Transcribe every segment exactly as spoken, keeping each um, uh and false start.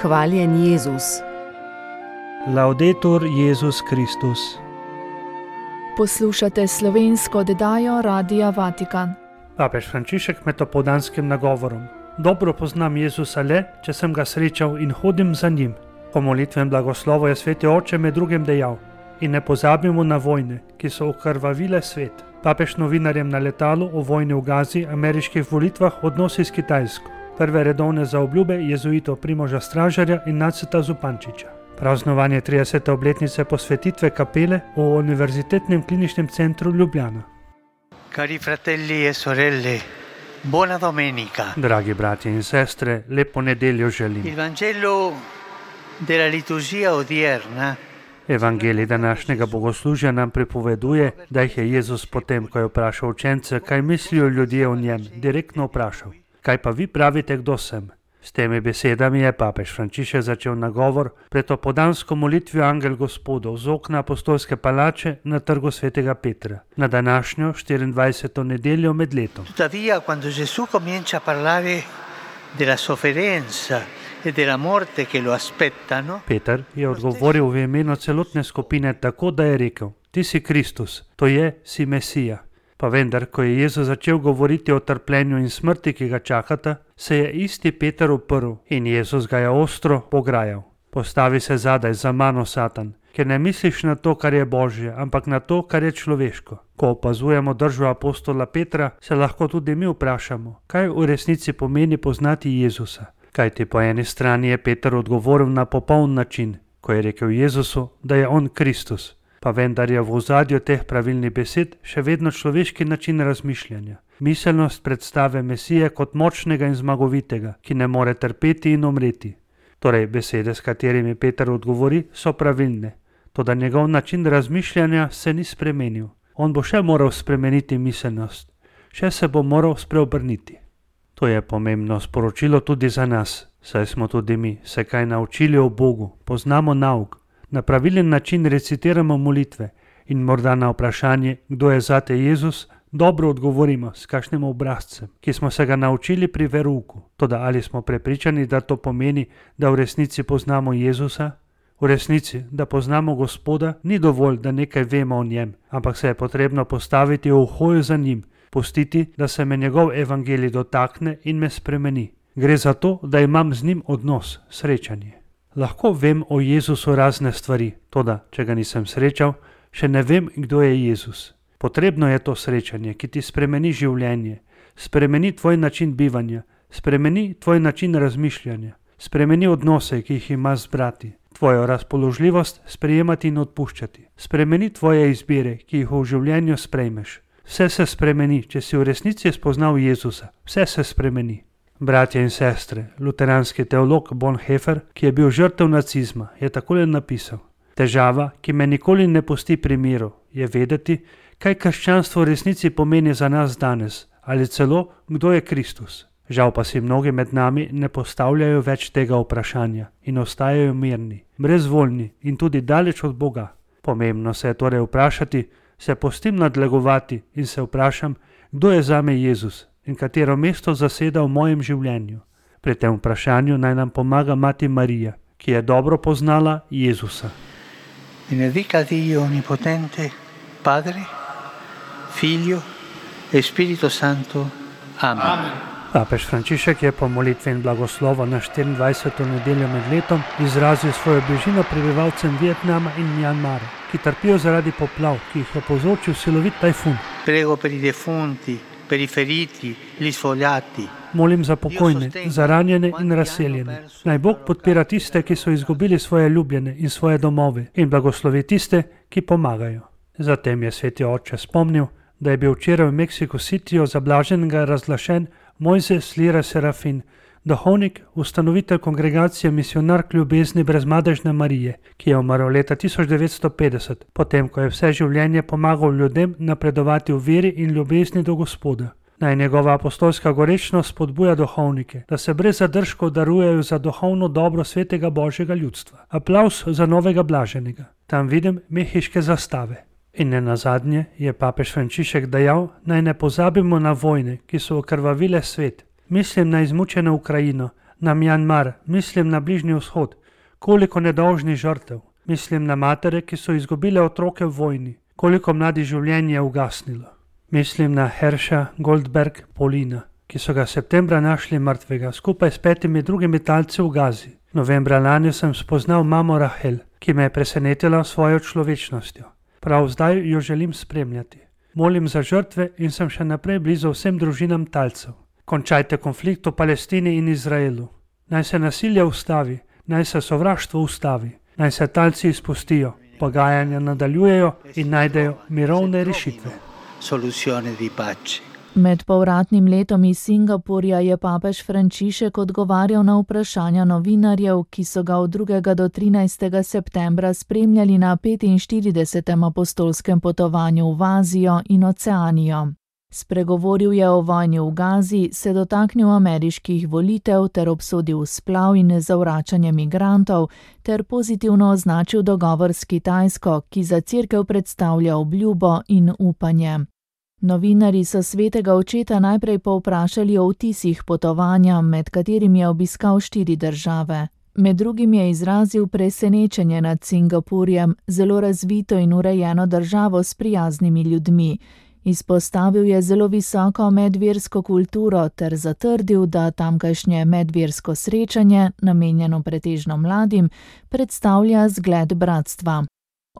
Hvaljen Jezus. Laudetur Jezus Kristus. Poslušate slovensko oddajo Radia Vatikan. Papež Frančišek med opoldanskim nagovorom. Dobro poznam Jezusa le, če sem ga srečal in hodim za njim. Po molitvem blagoslovu je sveti oče med drugim dejal: in ne pozabimo na vojne, ki so okrvavile svet. Papež novinarjem na letalu o vojni v Gazi, ameriških volitvah, odnosi s Kitajsko. Prve redovne zaobljube jezuitov Primoža Stražarja in Naceta Zupančiča. Praznovanje tridesete obletnice posvetitve kapele v Univerzitetnem kliničnem centru Ljubljana. Cari fratelli e sorelle, buona domenica. Dragi bratje in sestre, lepo nedeljo želim. Il Vangelo della liturgia odierna Evangelij današnjega bogoslužja nam pripoveduje, da jih je Jezus potem, ko je vprašal učence, kaj mislijo ljudje o njem, direktno vprašal: kaj pa vi pravite, kdo sem? S temi besedami je papež Frančišek začel nagovor pred opoldansko molitvijo Angel Gospodov z okna apostolske palače na trgu svetega Petra, na današnjo štiriindvajseto nedeljo med letom. Tuttavia, quando Gesù comincia a parlare della sofferenza e della morte che lo aspettano, Peter je odgovoril v imenu celotne skupine tako, da je rekel: ti si Kristus, to je, si Mesija. Pa vendar, ko je Jezus začel govoriti o trpljenju in smrti, ki ga čakata, se je isti Peter uprl in Jezus ga je ostro pograjal. Postavi se zadaj za mano, Satan, ker ne misliš na to, kar je Božje, ampak na to, kar je človeško. Ko opazujemo držo apostola Petra, se lahko tudi mi vprašamo, kaj v resnici pomeni poznati Jezusa. Kajti po eni strani je Peter odgovoril na popoln način, ko je rekel Jezusu, da je on Kristus. Pa vendar je v ozadju teh pravilnih besed še vedno človeški način razmišljanja. Miselnost predstave Mesije kot močnega in zmagovitega, ki ne more trpeti in umreti. Torej, besede, s katerimi Peter odgovori, so pravilne. Toda njegov način razmišljanja se ni spremenil. On bo še moral spremeniti miselnost. Še se bo moral spreobrniti. To je pomembno sporočilo tudi za nas, saj smo tudi mi se kaj naučili o Bogu, poznamo nauk. Na pravilen način recitiramo molitve in morda na vprašanje, kdo je zate Jezus, dobro odgovorimo s kakšnim obrazcem, ki smo se ga naučili pri verouku. Toda ali smo prepričani, da to pomeni, da v resnici poznamo Jezusa? V resnici, da poznamo Gospoda, ni dovolj, da nekaj vemo o njem, ampak se je potrebno postaviti v hojo za njim, pustiti, da se me njegov evangelij dotakne in me spremeni. Gre za to, da imam z njim odnos, srečanje. Lahko vem o Jezusu razne stvari, toda, če ga nisem srečal, še ne vem, kdo je Jezus. Potrebno je to srečanje, ki ti spremeni življenje, spremeni tvoj način bivanja, spremeni tvoj način razmišljanja, spremeni odnose, ki jih imaš z brati, tvojo razpoložljivost sprejemati in odpuščati, spremeni tvoje izbire, ki jih v življenju sprejmeš. Vse se spremeni, če si v resnici spoznal Jezusa, vse se spremeni. Bratje in sestre, luteranski teolog Bonhoeffer, ki je bil žrtev nacizma, je takole napisal: težava, ki me nikoli ne pusti pri miru, je vedeti, kaj krščanstvo v resnici pomeni za nas danes, ali celo, kdo je Kristus. Žal pa si mnogi med nami ne postavljajo več tega vprašanja in ostajajo mirni, brezvoljni in tudi daleč od Boga. Pomembno se je torej vprašati, se pustim nadlegovati in se vprašam, kdo je zame Jezus in katero mesto zaseda v mojem življenju. Pri tem vprašanju naj nam pomaga mati Marija, ki je dobro poznala Jezusa. benedica Dio Onnipotente, Padre, Figlio e Spirito Santo. Amen. Amen. Papež Frančišek je po molitvi in blagoslovu na štiriindvajseto nedeljo med letom izrazil svojo bližino prebivalcem Vietnama in Mjanmara, ki trpijo zaradi poplav, ki jih je povzročil silovit tajfun. Prego per i defunti, per i feriti, gli sfogliati. Molim za pokojne, za ranjene in razseljene. Naj Bog podpira tiste, ki so izgubili svoje ljubljene in svoje domove, in blagoslovi tiste, ki pomagajo. Zatem je sveti oče spomnil, da je bil včeraj v Mexico Cityju za blaženega razglašen Mojzes Lira Serafin, duhovnik, ustanovitelj kongregacije Misionark ljubezni brezmadežne Marije, ki je umrl leta tisoč devetsto petdeset, potem ko je vse življenje pomagal ljudem napredovati v veri in ljubezni do Gospoda. Naj njegova apostolska gorečnost spodbuja duhovnike, da se brez zadržkov darujejo za duhovno dobro svetega Božjega ljudstva. Aplavz za novega blaženega. Tam vidim mehiške zastave. In ne nazadnje je papež Frančišek dejal, naj ne pozabimo na vojne, ki so okrvavile svet. Mislim na izmučeno Ukrajino, na Mjanmar, mislim na Bližnji vzhod, koliko nedolžnih žrtev, mislim na matere, ki so izgubile otroke v vojni, koliko mladih življenj je ugasnilo. Mislim na Herša Goldberg Polina, ki so ga septembra našli mrtvega skupaj s petimi drugimi talci v Gazi. Novembra lani sem spoznal mamo Rahel, ki me je presenetila svojo človečnostjo. Prav zdaj jo želim spremljati. Molim za žrtve in sem še naprej blizu vsem družinam talcev. Končajte konflikt v Palestini in Izraelu. Naj se nasilje ustavi, naj se sovraštvo ustavi, naj se talci izpustijo, pogajanja nadaljujejo in najdejo mirovne rešitve. Med povratnim letom iz Singapurja je papež Frančišek odgovarjal na vprašanja novinarjev, ki so ga od drugega do trinajstega septembra spremljali na petinštiridesetem apostolskem potovanju v Azijo in Oceanijo. Spregovoril je o vojni v Gazi, se dotaknil ameriških volitev ter obsodil splav in zavračanje migrantov ter pozitivno označil dogovor s Kitajsko, ki za cerkev predstavlja obljubo in upanje. Novinarji so svetega očeta najprej povprašali o vtisih potovanja, med katerimi je obiskal štiri države. Med drugim je izrazil presenečenje nad Singapurjem, zelo razvito in urejeno državo s prijaznimi ljudmi. Izpostavil je zelo visoko medversko kulturo ter zatrdil, da tamkajšnje medversko srečanje, namenjeno pretežno mladim, predstavlja zgled bratstva.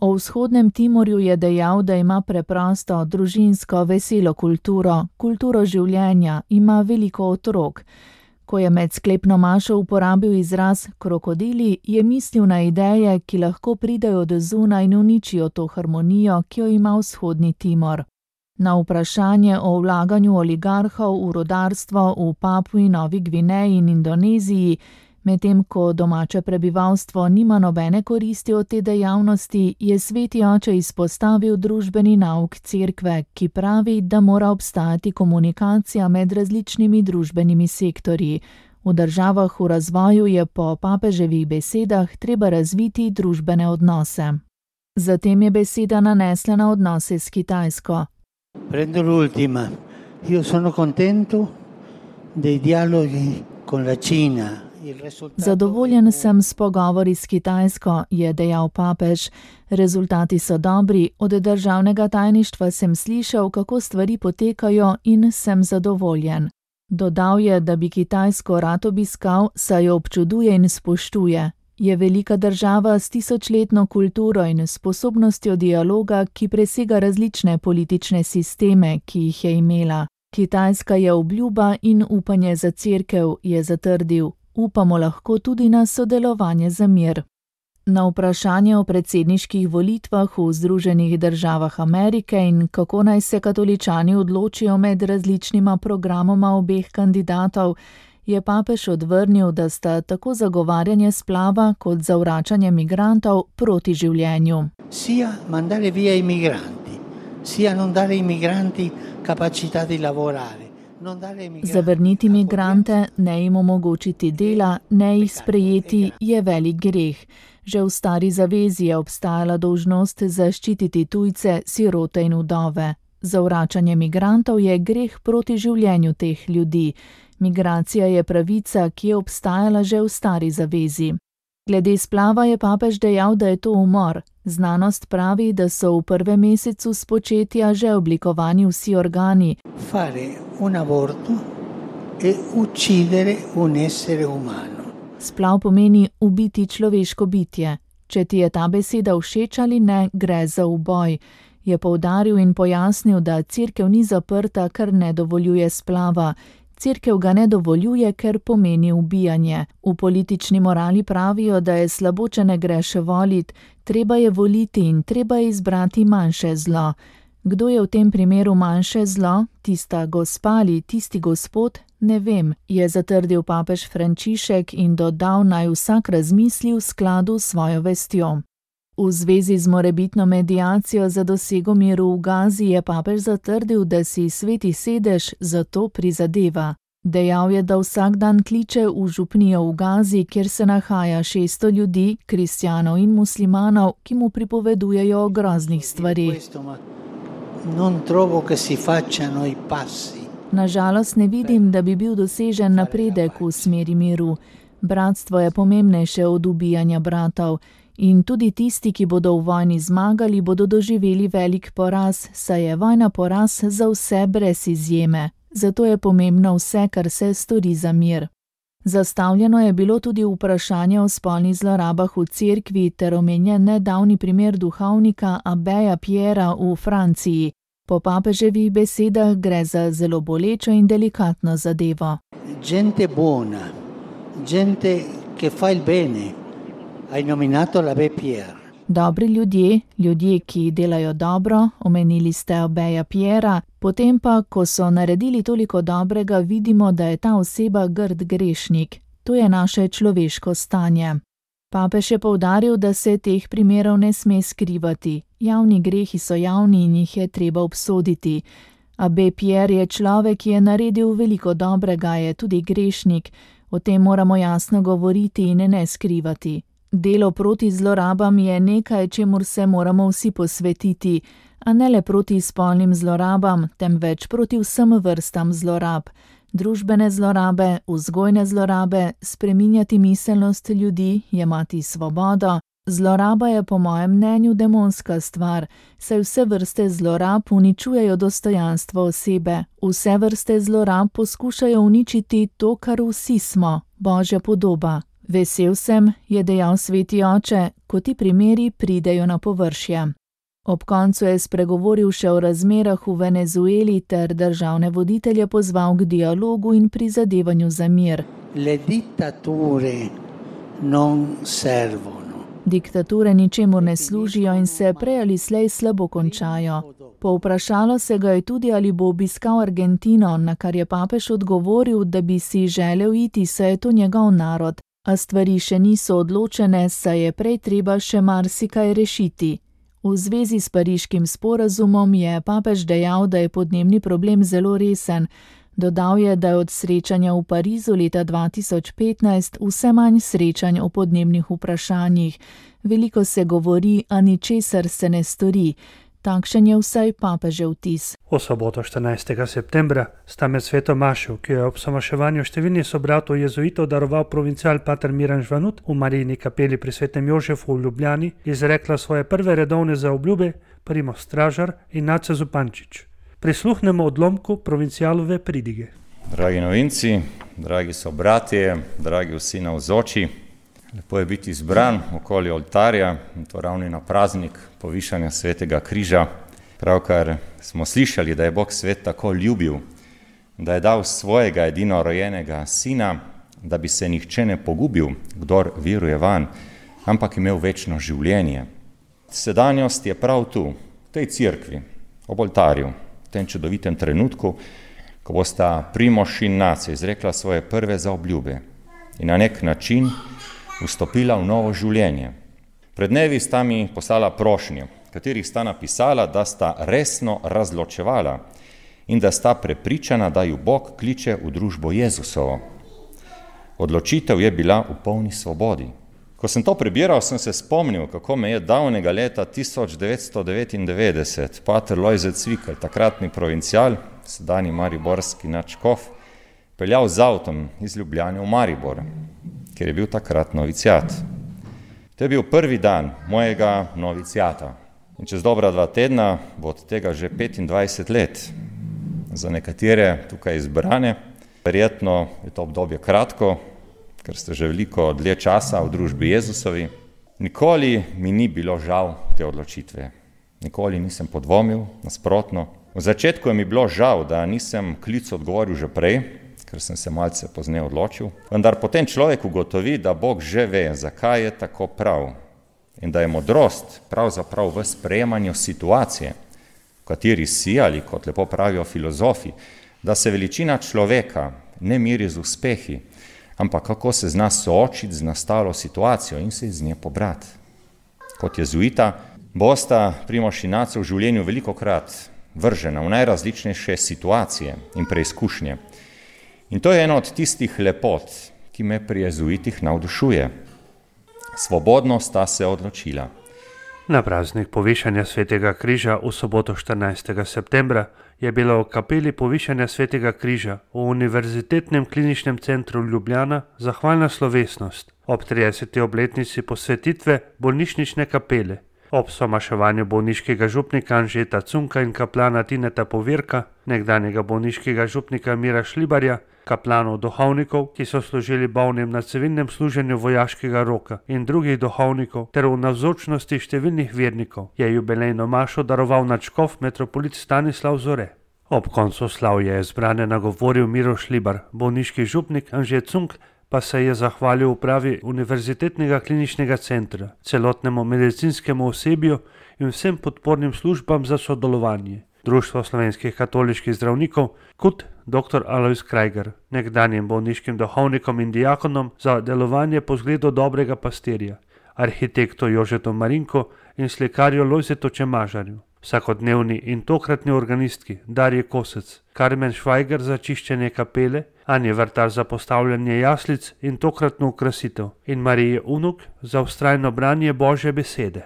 O vzhodnem Timorju je dejal, da ima preprosto, družinsko, veselo kulturo, kulturo življenja, ima veliko otrok. Ko je med sklepno mašo uporabil izraz krokodili, je mislil na ideje, ki lahko pridejo do zunaj in uničijo to harmonijo, ki jo ima vzhodni Timor. Na vprašanje o vlaganju oligarhov v rudarstvo v Papui Novi Gvineji in Indoneziji, medtem ko domače prebivalstvo nima nobene koristi od te dejavnosti, je sveti oče izpostavil družbeni nauk cerkve, ki pravi, da mora obstajati komunikacija med različnimi družbenimi sektorji. V državah v razvoju je po papeževih besedah treba razviti družbene odnose. Zatem je beseda nanesla na odnose s Kitajsko. Prendo l'ultima. Io sono contento dei dialoghi con la Cina. Zadovoljen sem s pogovori s Kitajsko, je dejal papež. Rezultati so dobri, od državnega tajništva sem slišal, kako stvari potekajo in sem zadovoljen. Dodal je, da bi Kitajsko rad obiskal, saj jo občuduje in spoštuje. Je velika država s tisočletno kulturo in sposobnostjo dialoga, ki presega različne politične sisteme, ki jih je imela. Kitajska je obljuba in upanje za cerkev, je zatrdil. Upamo lahko tudi na sodelovanje za mir. Na vprašanje o predsedniških volitvah v Združenih državah Amerike in kako naj se katoličani odločijo med različnima programoma obeh kandidatov, je papež odvrnil, da sta tako zagovarjanje splava kot zavračanje migrantov proti življenju. Sia mandare via i migranti, sia non dare ai migranti capacità di lavorare. Zavrniti migrante, ne jim omogočiti dela, ne jih sprejeti, je velik greh. Že v stari zavezi je obstajala dolžnost zaščititi tujce, sirote in vdove. Zavračanje migrantov je greh proti življenju teh ljudi. Migracija je pravica, ki je obstajala že v stari zavezi. Glede splava je papež dejal, da je to umor. Znanost pravi, da so v prvem mesecu spočetja že oblikovani vsi organi. Fare un aborto e uccidere un essere umano. Splav pomeni ubiti človeško bitje. Če ti je ta beseda všeč ali ne, gre za uboj. Je poudaril in pojasnil, da cerkev ni zaprta, ker ne dovoljuje splava. Cerkev ga ne dovoljuje, ker pomeni ubijanje. V politični morali pravijo, da je slabo, če ne greš volit, treba je voliti in treba je izbrati manjše zlo. Kdo je v tem primeru manjše zlo, tista gospa ali tisti gospod, ne vem, je zatrdil papež Frančišek in dodal, naj vsak razmisli v skladu s svojo vestjo. V zvezi z morebitno mediacijo za dosego miru v Gazi je papež zatrdil, da si sveti sedež za to prizadeva. Dejal je, da vsak dan kliče v župnijo v Gazi, kjer se nahaja šeststo ljudi, kristjanov in muslimanov, ki mu pripovedujejo o groznih stvarih. Non trovo che si facciano i passi Nažalost ne vidim, da bi bil dosežen napredek v smeri miru. Bratstvo je pomembnejše od ubijanja bratov. In tudi tisti, ki bodo v vojni zmagali, bodo doživeli velik poraz, saj je vojna poraz za vse brez izjeme. Zato je pomembno vse, kar se stori za mir. Zastavljeno je bilo tudi vprašanje o spolnih zlorabah v cerkvi ter omenjen nedavni primer duhovnika Abbeja Piera v Franciji. Po papeževih besedah gre za zelo bolečo in delikatno zadevo. Gente buona, gente che fa il bene. Hai nominato l'Abbe Pierre. Dobri ljudje, ljudje, ki delajo dobro, omenili ste Abbeja Piera, potem pa, ko so naredili toliko dobrega, vidimo, da je ta oseba grd grešnik. To je naše človeško stanje. Papež je poudaril, da se teh primerov ne sme skrivati. Javni grehi so javni in jih je treba obsoditi. Abbe Pierre je človek, ki je naredil veliko dobrega, je tudi grešnik. O tem moramo jasno govoriti in ne skrivati. Delo proti zlorabam je nekaj, čemur se moramo vsi posvetiti, a ne le proti spolnim zlorabam, temveč proti vsem vrstam zlorab. Družbene zlorabe, vzgojne zlorabe, spreminjati miselnost ljudi, jemati svobodo. Zloraba je po mojem mnenju demonska stvar, saj vse vrste zlorab uničujejo dostojanstvo osebe. Vse vrste zlorab poskušajo uničiti to, kar vsi smo, Božja podoba. Vesel sem, je dejal sveti oče, ko ti primeri pridejo na površje. Ob koncu je spregovoril še o razmerah v Venezueli ter državne voditelje pozval k dialogu in prizadevanju za mir. Le dittature non servono. Diktature ničemur ne služijo in se prej ali slej slabo končajo. Povprašalo se ga je tudi, ali bo obiskal Argentino, na kar je papež odgovoril, da bi si želel iti, saj je to njegov narod. A stvari še niso odločene, saj je prej treba še marsikaj rešiti. V zvezi s pariškim sporazumom je papež dejal, da je podnebni problem zelo resen. Dodal je, da je od srečanja v Parizu leta dva tisoč petnajst vse manj srečanj o podnebnih vprašanjih. Veliko se govori, a ničesar se ne stori. Takšen je vsaj papežev vtis. V soboto štirinajstega septembra sta med sveto mašo, ki jo je ob samaševanju številnih sobratov jezuitov daroval provincial pater Miran Žvanut v Marijini kapeli pri svetem Jožefu v Ljubljani, izrekla svoje prve redovne zaobljube Primož Stražar in Nace Zupančič. Prisluhnemo odlomku provincialove pridige. Dragi novinci, dragi sobratje, dragi vsi navzoči, lepo je biti izbran okoli oltarja, in to ravno na praznik povišanja svetega križa. Pravkar smo slišali, da je Bog svet tako ljubil, da je dal svojega edino rojenega sina, da bi se nihče ne pogubil, kdor veruje vanj, ampak imel večno življenje. Sedanjost je prav tu, v tej cerkvi, ob oltarju, v tem čudovitem trenutku, ko bosta Primož in Nace izrekla svoje prve zaobljube in na nek način vstopila v novo življenje. Pred dnevi sta mi poslala prošnje, katerih sta napisala, da sta resno razločevala in da sta prepričana, da ju Bog kliče v družbo Jezusovo. Odločitev je bila v polni svobodi. Ko sem to prebiral, sem se spomnil, kako me je davnega leta tisoč devetsto devetindevetdeset pater Lojze Cvikl, takratni provincial, sedanji mariborski nadškof, peljal z avtom iz Ljubljane v Maribor, ker je bil takrat novicijat. To je bil prvi dan mojega novicijata. In čez dobra dva tedna bo od tega že petindvajset let. Za nekatere tukaj izbrane, verjetno je to obdobje kratko, ker ste že veliko dlje časa v družbi Jezusovi. Nikoli mi ni bilo žal te odločitve. Nikoli nisem podvomil, nasprotno. V začetku je mi bilo žal, da nisem klicu odgovoril že prej, ker sem se malce pozneje odločil. Vendar potem človek ugotovi, da Bog že ve, zakaj je tako prav in da je modrost pravzaprav v sprejemanju situacije, v kateri si, ali kot lepo pravijo filozofi, da se veličina človeka ne meri z uspehi, ampak kako se zna soočiti z nastalo situacijo in se iz nje pobrati. Kot jezuita bosta Primož in Nace v življenju velikokrat vržena v najrazličnejše situacije in preizkušnje. In to je ena od tistih lepot, ki me pri jezuitih navdušuje. Svobodno sta se odločila. Na praznik povišanja svetega križa v soboto štirinajstega septembra je bila v kapeli povišanja svetega križa v Univerzitetnem kliničnem centru Ljubljana zahvalna slovesnost ob trideseti obletnici posvetitve bolnišnične kapele. Ob somaševanju bolniškega župnika Anžeta Cunka in kaplana Tineta Povirka, nekdanjega bolniškega župnika Mira Šlibarja, kaplanov duhovnikov, ki so služili bolnim na civilnem služenju vojaškega roka, in drugih duhovnikov ter v navzočnosti številnih vernikov, je jubilejno mašo daroval nadškof metropolit Stanislav Zore. Ob koncu slavja je zbrane nagovoril Miro Šlibar, bolniški župnik Anžet Cunk pa se je zahvalil upravi Univerzitetnega kliničnega centra, celotnemu medicinskemu osebju in vsem podpornim službam za sodelovanje. Društvo slovenskih katoliških zdravnikov kot dr. Alojz Krajger, nekdanjim bolniškim duhovnikom in diakonom za delovanje po zgledu dobrega pastirja, arhitektu Jožetu Marinko in slikarju Lojzetu Čemažarju, vsakodnevni in tokratni organistki Darji Kosec, Karmen Švajger za čiščenje kapele, Anje Vrtar za postavljanje jaslic in tokratno okrasitev in Marije Unuk za vztrajno branje Božje besede.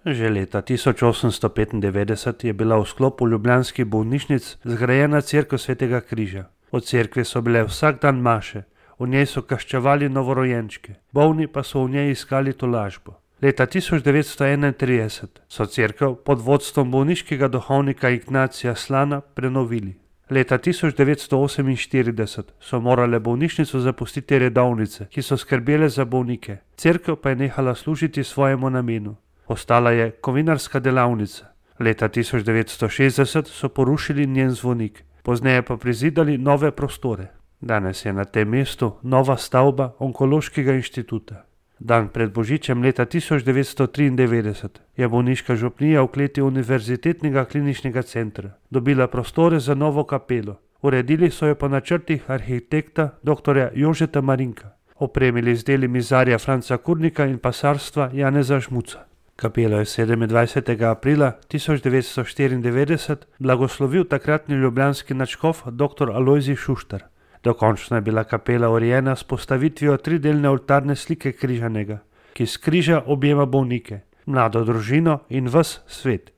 Že leta tisoč osemsto petindevetdeset je bila v sklopu ljubljanskih bolnišnic zgrajena cerkev svetega križa. V cerkvi so bile vsak dan maše, v njej so kaščevali novorojenčke, bolni pa so v njej iskali tolažbo. Leta tisoč devetsto enaintrideset so cerkev pod vodstvom bolniškega duhovnika Ignacija Slana prenovili. Leta tisoč devetsto oseminštirideset so morale bolnišnico zapustiti redovnice, ki so skrbele za bolnike. Cerkev pa je nehala služiti svojemu namenu. Ostala je kovinarska delavnica. Leta tisoč devetsto šestdeset so porušili njen zvonik, pozneje pa prizidali nove prostore. Danes je na tem mestu nova stavba Onkološkega inštituta. Dan pred božičem leta tisoč devetsto triindevetdeset je bolniška župnija v kleti Univerzitetnega kliničnega centra dobila prostore za novo kapelo. Uredili so jo po načrtih arhitekta dr. Jožeta Marinka, opremili z deli mizarja Franca Kurnika in pasarstva Janeza Žmuca. Kapelo je sedemindvajsetega aprila tisoč devetsto štiriindevetdeset blagoslovil takratni ljubljanski nadškof dr. Alojzij Šuštar. Dokončno je bila kapela urejena s postavitvijo tridelne oltarne slike križanega, ki s križa objema bolnike, mlado družino in ves svet.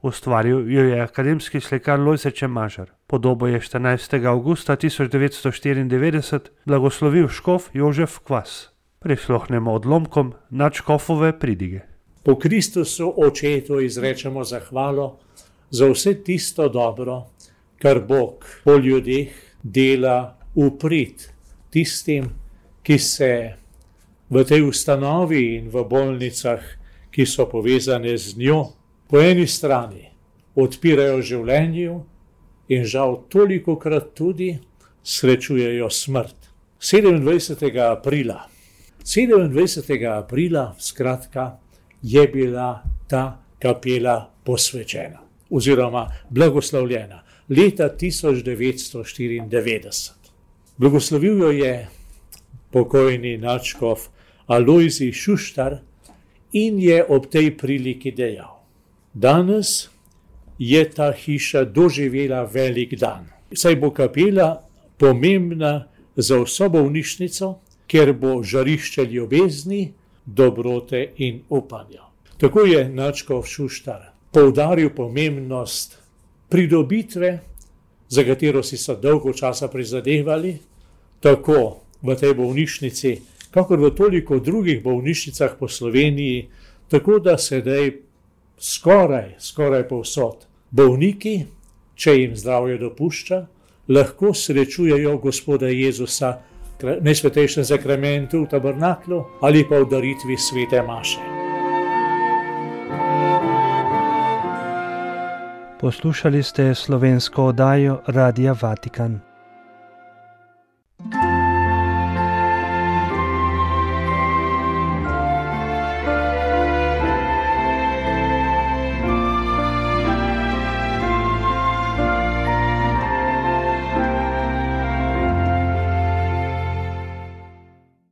Ustvaril jo je akademski slikar Lojze Čemažar. Podobo je štirinajstega avgusta tisoč devetsto štiriindevetdeset blagoslovil škof Jožef Kvas. Prisluhnemo odlomkom nadškofove pridige. Po Kristusu očetu izrečemo zahvalo za vse tisto dobro, kar Bog po ljudeh dela v prid tistim, ki se v tej ustanovi in v bolnicah, ki so povezane z njo, po eni strani odpirajo življenju in žal tolikokrat tudi srečujejo smrt. sedemindvajsetega aprila, sedemindvajsetega aprila, skratka, je bila ta kapela posvečena oziroma blagoslovljena leta tisoč devetsto štiriindevetdeset. Blagoslovil jo je pokojni nadškof Alojzij Šuštar in je ob tej priliki dejal: danes je ta hiša doživela velik dan, saj bo kapela pomembna za vso bolnišnico, ker bo žarišče ljubezni, dobrote in upanja. Tako je nadškof Šuštar poudaril pomembnost pridobitve, za katero si so dolgo časa prizadevali, tako v tej bolnišnici, kakor v toliko drugih bolnišnicah po Sloveniji, tako da sedaj skoraj, skoraj povsod bolniki, če jim zdravje dopušča, lahko srečujejo Gospoda Jezusa v najsvetejšem sakramentu v tabernaklu ali pa v daritvi svete maše. Poslušali ste slovensko oddajo Radia Vatikan.